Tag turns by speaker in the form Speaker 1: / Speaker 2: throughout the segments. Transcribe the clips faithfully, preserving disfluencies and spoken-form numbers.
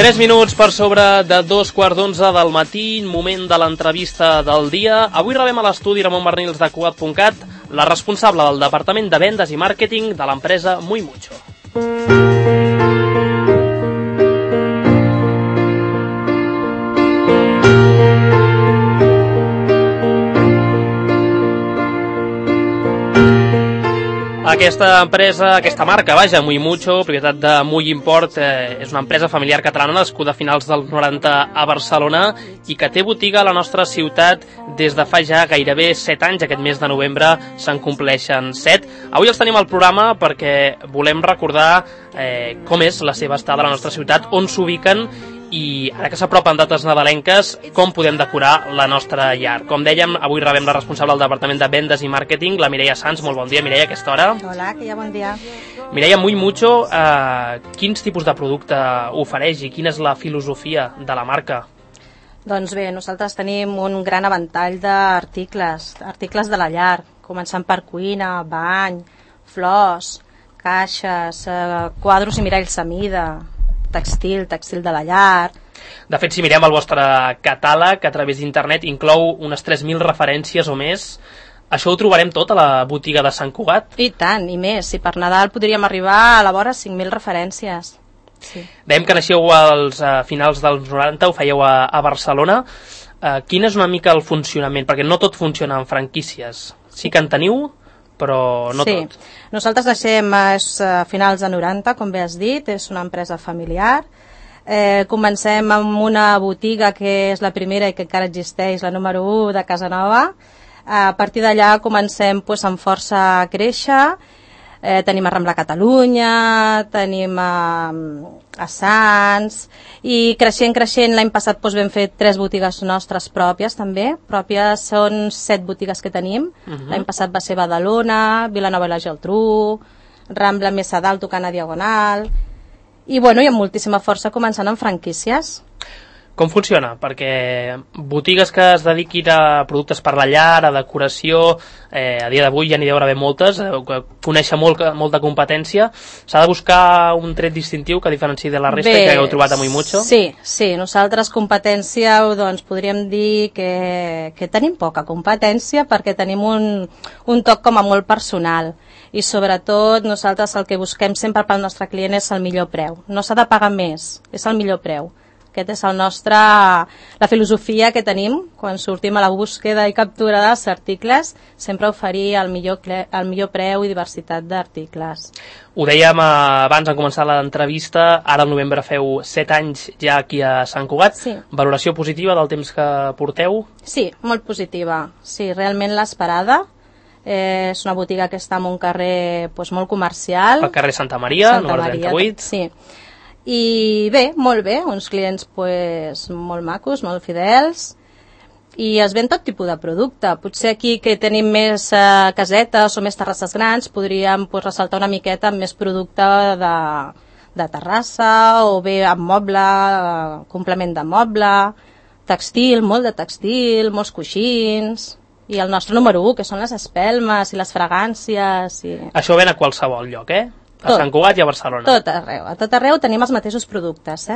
Speaker 1: tres minuts per sobre de dos quarts d'onze del matí, moment de l'entrevista del dia. Avui rebem a l'estudi Ramon Barnils de Cugat punt cat, la responsable del Departament de Vendes i Màrqueting de l'empresa Muy Mucho. Aquesta empresa, aquesta marca, vaja, Muy Mucho, propietat de Muy Import, eh, és una empresa familiar catalana nascuda a finals dels noranta a Barcelona i que té botiga a la nostra ciutat des de fa ja gairebé set anys. Aquest mes de novembre se'n compleixen set. Avui els tenim al programa perquè volem recordar eh, com és la seva estada a la nostra ciutat, on s'ubiquen i ara que s'apropen dates nadalenques, com podem decorar la nostra llar. Com dèiem, avui rebem la responsable del Departament de Vendes i Màrqueting, la Mireia Sans. Molt bon dia, Mireia, a aquesta hora.
Speaker 2: Hola, que ja bon dia.
Speaker 1: Mireia, Muy Mucho, eh, quins tipus de producte ofereix i quina és la filosofia de la marca?
Speaker 2: Doncs bé, nosaltres tenim un gran avantall d'articles, articles de la llar, començant per cuina, bany, flors, caixes, eh, quadros i miralls a mida, textil, textil de la llar.
Speaker 1: De fet, si mirem el vostre catàleg a través d'internet, inclou unes tres mil referències o més. Això ho trobarem tot a la botiga de Sant Cugat?
Speaker 2: I tant, i més. Si per Nadal podríem arribar a la vora cinc mil referències. Sí.
Speaker 1: Dèiem que naixeu als uh, finals dels noranta, ho fèieu a, a Barcelona. Uh, quin és una mica el funcionament? Perquè no tot funciona en franquícies. Sí que en teniu, però no
Speaker 2: sí.
Speaker 1: tot.
Speaker 2: Nosaltres deixem a finals de noranta, com bé has dit, és una empresa familiar. Eh, comencem amb una botiga que és la primera i que encara existeix, la número u de Casa Nova. A partir d'allà comencem pues, amb força a créixer. Eh, tenim a Rambla Catalunya, tenim a, a Sants, i creixent, creixent, l'any passat doncs, vam fer tres botigues nostres pròpies també, pròpies són set botigues que tenim. Uh-huh. L'any passat va ser Badalona, Vilanova i la Geltrú, Rambla més a dalt tocant a Diagonal, i bueno, hi ha moltíssima força començant amb franquícies.
Speaker 1: Com funciona? Perquè botigues que es dediquin a productes per la llar, a decoració, eh, a dia d'avui ja n'hi deu haver moltes, eh, que conèixer molt, molt de competència. S'ha de buscar un tret distintiu que diferenciï de la resta. Bé, i que heu trobat a Muy Mucho?
Speaker 2: Sí, sí, nosaltres competència doncs, podríem dir que, que tenim poca competència perquè tenim un, un toc com a molt personal i sobretot nosaltres el que busquem sempre pel nostre client és el millor preu. No s'ha de pagar més, és el millor preu. Aquest és el nostre, la filosofia que tenim quan sortim a la búsqueda i captura dels articles, sempre oferir el millor, el millor preu i diversitat d'articles.
Speaker 1: Ho dèiem abans de començar l'entrevista, ara al novembre feu set anys ja aquí a Sant Cugat.
Speaker 2: Sí.
Speaker 1: Valoració positiva del temps que porteu?
Speaker 2: Sí, molt positiva. Sí, realment l'esperada. Eh, és una botiga que està en un carrer pues, molt comercial.
Speaker 1: Al carrer Santa Maria,
Speaker 2: Santa
Speaker 1: número
Speaker 2: Maria,
Speaker 1: trenta-vuit.
Speaker 2: Sí. I bé, molt bé, uns clients pues, molt macos, molt fidels, i es ven tot tipus de producte. Potser aquí que tenim més eh, casetes o més terrasses grans podríem pues, ressaltar una miqueta amb més producte de, de terrassa o bé amb moble, eh, complement de moble, textil, molt de textil, molts coixins, i el nostre número u, que són les espelmes i les fragàncies. I...
Speaker 1: Això ven a qualsevol lloc, eh? A
Speaker 2: Tot,
Speaker 1: Sant Cugat i a Barcelona.
Speaker 2: Tot arreu. A tot arreu tenim els mateixos productes, eh?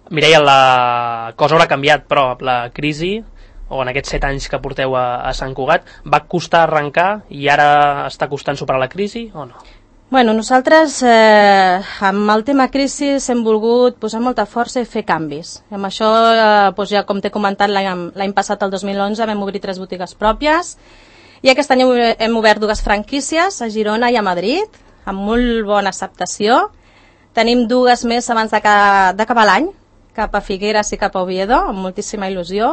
Speaker 1: Mireia, la cosa haurà canviat, però la crisi, o en aquests set anys que porteu a, a Sant Cugat, va costar arrencar i ara està costant superar la crisi o no?
Speaker 2: Bueno, nosaltres eh, amb el tema crisi hem volgut posar molta força i fer canvis. I amb això, eh, doncs ja com t'he comentat, l'any passat, el dos mil onze, vam obrir tres botigues pròpies i aquest any hem obert dues franquícies a Girona i a Madrid, amb molt bona acceptació. Tenim dues més abans d'acabar l'any, cap a Figueres i cap a Oviedo, amb moltíssima il·lusió.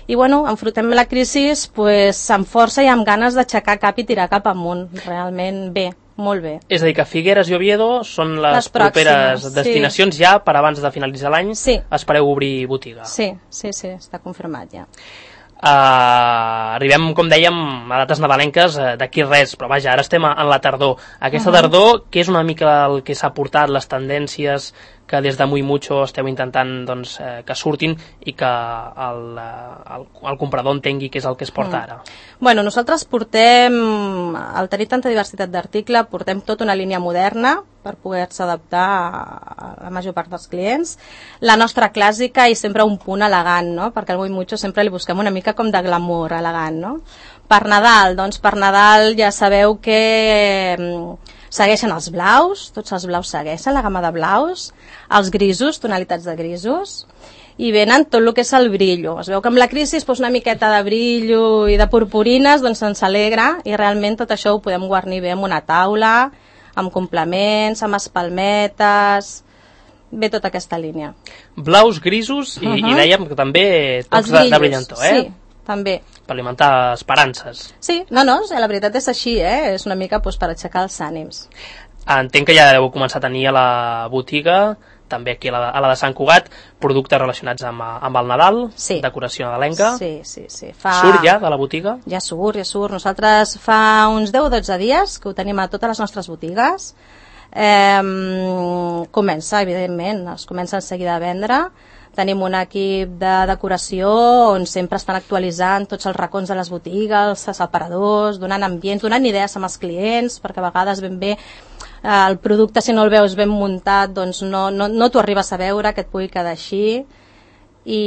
Speaker 2: I bueno, enfrontem la crisi pues, amb força i amb ganes d'aixecar cap i tirar cap amunt. Realment bé, molt bé.
Speaker 1: És a dir, que Figueres i Oviedo són les, les properes destinacions, sí. Ja per abans de finalitzar l'any,
Speaker 2: sí.
Speaker 1: Espereu obrir botiga.
Speaker 2: Sí, sí, sí, està confirmat ja.
Speaker 1: Uh, arribem, com dèiem, a dates nadalenques uh, d'aquí res, però vaja, ara estem en la tardor. Aquesta uh -huh. tardor, què és una mica el que s'ha portat, les tendències, que des de Muy Mucho esteu intentant doncs, eh, que surtin i que el, el, el comprador entengui què és el que es porta ara.
Speaker 2: Mm. Bueno, nosaltres portem, al tenir tanta diversitat d'article, portem tota una línia moderna per poder-se adaptar a la major part dels clients. La nostra clàssica i sempre un punt elegant, no? Perquè al Muy Mucho sempre li busquem una mica com de glamour elegant, no? Per Nadal, doncs per Nadal ja sabeu que segueixen els blaus, tots els blaus segueixen, la gamma de blaus, els grisos, tonalitats de grisos, i venen tot el que és el brillo. Es veu que amb la crisi doncs una miqueta de brillo i de purpurines doncs ens alegra i realment tot això ho podem guarnir bé amb una taula, amb complements, amb espalmetes, bé tota aquesta línia.
Speaker 1: Blaus, grisos i, uh -huh. i dèiem que també tocs de, de brillantor, eh?
Speaker 2: Sí, també.
Speaker 1: Per alimentar esperances.
Speaker 2: Sí, no, no, la veritat és així, eh? És una mica doncs, per aixecar els ànims.
Speaker 1: Entenc que ja heu començat a tenir a la botiga, també aquí a la, a la de Sant Cugat, productes relacionats amb, amb el Nadal,
Speaker 2: sí. Decoració
Speaker 1: nadalenca.
Speaker 2: Sí, sí, sí. Fa...
Speaker 1: Surt ja de la botiga?
Speaker 2: Ja surt, ja surt. Nosaltres fa uns deu o dotze dies que ho tenim a totes les nostres botigues. Eh, comença, evidentment, es comença en seguida a vendre. Tenim un equip de decoració on sempre estan actualitzant tots els racons de les botigues, els aparadors, donant ambients, donant idees amb els clients, perquè a vegades ben bé eh, el producte, si no el veus ben muntat, doncs no, no, no t'ho arribes a veure, que et pugui quedar així. I,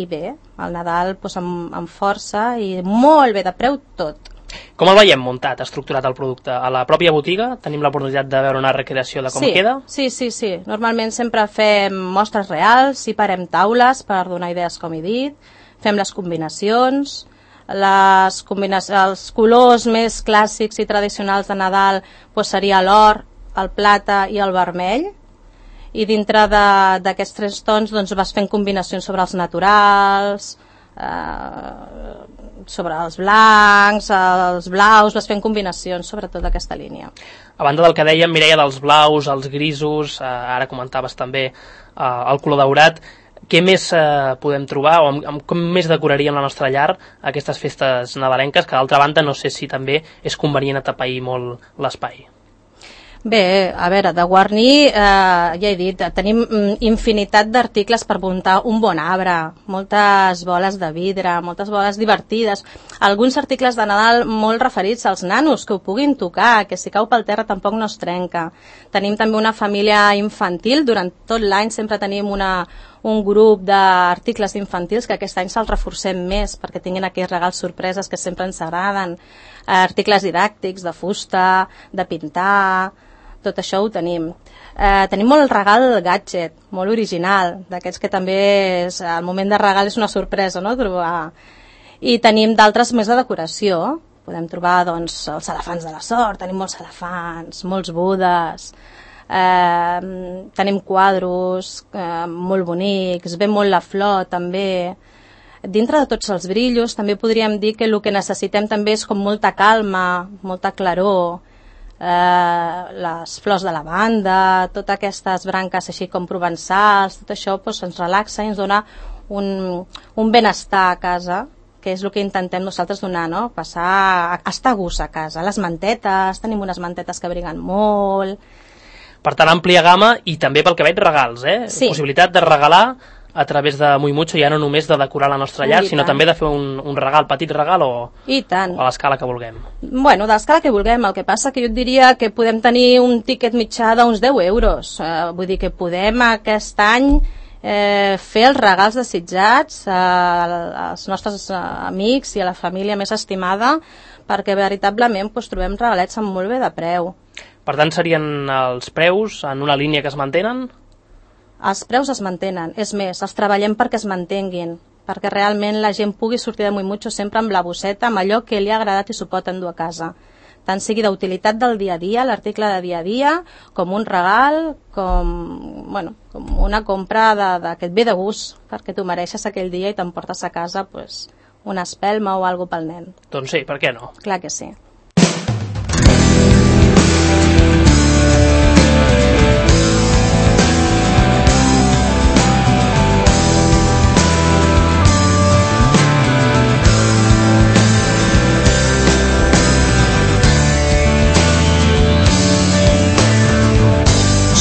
Speaker 2: i bé, el Nadal doncs, amb, amb força i molt bé de preu tot.
Speaker 1: Com el veiem muntat, estructurat el producte? A la pròpia botiga tenim l'oportunitat de veure una recreació de com
Speaker 2: sí,
Speaker 1: queda?
Speaker 2: Sí, sí, sí. Normalment sempre fem mostres reals i parem taules per donar idees, com he dit. Fem les combinacions. Les combina els colors més clàssics i tradicionals de Nadal doncs seria l'or, el plata i el vermell. I dintre d'aquests tres tons doncs, vas fent combinacions sobre els naturals, eh, sobre els blancs, els blaus, vas fent combinacions sobre tota aquesta línia.
Speaker 1: A banda del que dèiem, Mireia, dels blaus, els grisos, eh, ara comentaves també eh, el color daurat, què més eh, podem trobar o amb, amb com més decoraríem la nostra llar aquestes festes nadalenques, que d'altra banda no sé si també és convenient atapeir molt l'espai?
Speaker 2: Bé, a veure, de guarnir, eh, ja he dit, tenim infinitat d'articles per muntar un bon arbre, moltes boles de vidre, moltes boles divertides, alguns articles de Nadal molt referits als nanos, que ho puguin tocar, que si cau pel terra tampoc no es trenca. Tenim també una família infantil, durant tot l'any sempre tenim una, un grup d'articles infantils que aquest any se'ls reforcem més perquè tinguin aquells regals sorpreses que sempre ens agraden, articles didàctics, de fusta, de pintar, tot això ho tenim. Eh, tenim molt el regal gadget, molt original, d'aquests que també és, al moment de regal és una sorpresa, no?, trobar. I tenim d'altres més de decoració. Podem trobar doncs, els elefants de la sort, tenim molts elefants, molts budes, eh, tenim quadros eh, molt bonics, ve molt la flor també. Dintre de tots els brillos també podríem dir que el que necessitem també és com molta calma, molta claror, Eh, les flors de lavanda, totes aquestes branques així com provençals, tot això doncs, ens relaxa i ens dona un, un benestar a casa, que és el que intentem nosaltres donar, no? Passar a, a estar a gust a casa. Les mantetes, tenim unes mantetes que briguen molt.
Speaker 1: Per tant, àmplia gamma i també pel que veig regals, eh?
Speaker 2: Sí.
Speaker 1: Possibilitat de regalar a través de Muy Mucho, ja no només de decorar la nostra llar,
Speaker 2: I
Speaker 1: sinó
Speaker 2: tant.
Speaker 1: també de fer un, un regal, petit regal o,
Speaker 2: I tant.
Speaker 1: o a l'escala que vulguem.
Speaker 2: Bueno, de l'escala que vulguem, el que passa que jo et diria que podem tenir un tiquet mitjà d'uns deu euros, eh, vull dir que podem aquest any eh, fer els regals desitjats a, als nostres amics i a la família més estimada, perquè veritablement doncs, trobem regalets amb molt bé de preu.
Speaker 1: Per tant, serien els preus en una línia que es mantenen?
Speaker 2: Els preus es mantenen, és més, els treballem perquè es mantenguin, perquè realment la gent pugui sortir de Muy Mucho sempre amb la bosseta, amb allò que li ha agradat i s'ho pot endur a casa. Tant sigui d'utilitat del dia a dia, l'article de dia a dia, com un regal, com, bueno, com una compra de, de, que et ve de gust, perquè t'ho mereixes aquell dia i t'emportes a casa pues, una espelma o alguna pel nen.
Speaker 1: Doncs sí, per què no?
Speaker 2: Clar que sí.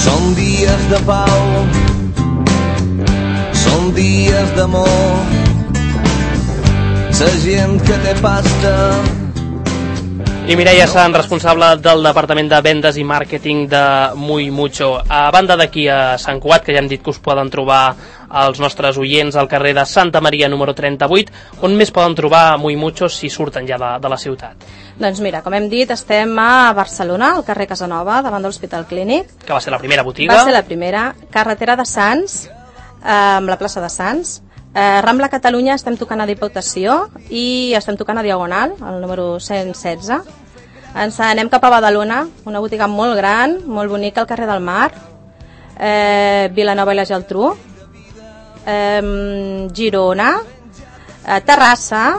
Speaker 3: Són dies de pau històries d'amor, la gent que té pasta.
Speaker 1: I Mireia Sant, responsable del Departament de Vendes i Màrqueting de Muy Mucho. A banda d'aquí a Sant Cugat, que ja hem dit que us poden trobar els nostres oients al carrer de Santa Maria número trenta-vuit, on més poden trobar Muy Mucho si surten ja de, de la ciutat?
Speaker 2: Doncs mira, com hem dit, estem a Barcelona, al carrer Casanova, davant de l'Hospital Clínic.
Speaker 1: Que va ser la primera botiga.
Speaker 2: Va ser la primera. Carretera de Sants, eh, amb la plaça de Sants. Eh, Rambla Catalunya estem tocant a Diputació i estem tocant a Diagonal, el número cent setze. Ens anem cap a Badalona, una botiga molt gran, molt bonica al carrer del Mar, eh, Vilanova i la Geltrú, eh, Girona, eh, Terrassa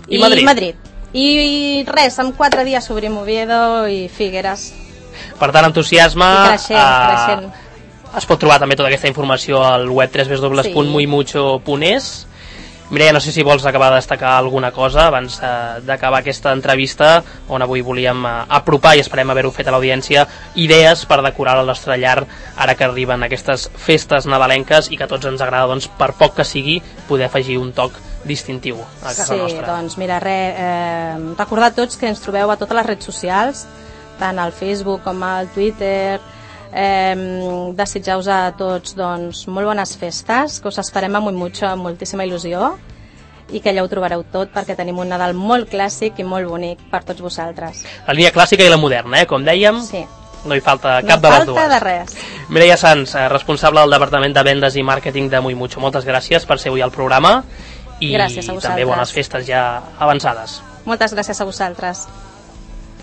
Speaker 1: i, i Madrid.
Speaker 2: Madrid. I res, en quatre dies obrim Oviedo i Figueres.
Speaker 1: Per tant, entusiasme.
Speaker 2: I creixent,
Speaker 1: eh,
Speaker 2: creixent.
Speaker 1: Es pot trobar també tota aquesta informació al web w w w punt muy mucho punt es. Mireia, no sé si vols acabar de destacar alguna cosa abans eh, d'acabar aquesta entrevista, on avui volíem eh, apropar, i esperem haver-ho fet a l'audiència, idees per decorar el nostre llar ara que arriben aquestes festes nadalenques i que a tots ens agrada, doncs, per poc que sigui, poder afegir un toc distintiu a casa
Speaker 2: sí,
Speaker 1: nostra.
Speaker 2: Sí, doncs mira, re, eh, recordar tots que ens trobeu a totes les redes socials, tant al Facebook com al Twitter. Eh, desitjar-vos a tots doncs, molt bones festes, que us esperem amb mucho, amb moltíssima il·lusió, i que allà ho trobareu tot, perquè tenim un Nadal molt clàssic i molt bonic per tots vosaltres.
Speaker 1: La línia clàssica i la moderna, eh? Com dèiem,
Speaker 2: sí.
Speaker 1: No hi falta cap
Speaker 2: no
Speaker 1: de les dues.
Speaker 2: No falta de res.
Speaker 1: Mireia Sans, responsable del Departament de Vendes i Màrqueting de Muy Mucho, moltes gràcies per ser avui al programa i també bones festes ja avançades.
Speaker 2: Moltes gràcies a vosaltres.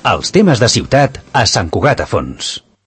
Speaker 4: Els temes de ciutat a Sant Cugat a Fons.